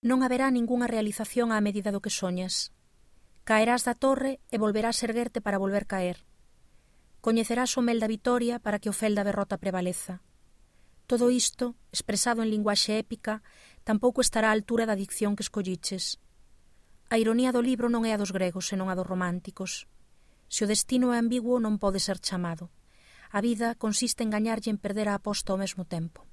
Non haberá ningunha realización á medida do que soñas. Caerás da torre e volverás erguerte para volver caer. Coñecerás o mel da vitoria para que o fel da derrota prevaleza. Todo isto, expresado en linguaxe épica, tampouco estará á altura da dicción que escolliches. A ironía do libro non é a dos gregos, senón a dos románticos. Se o destino é ambiguo, non pode ser chamado. A vida consiste en gañarlle en perder a aposta ao mesmo tempo.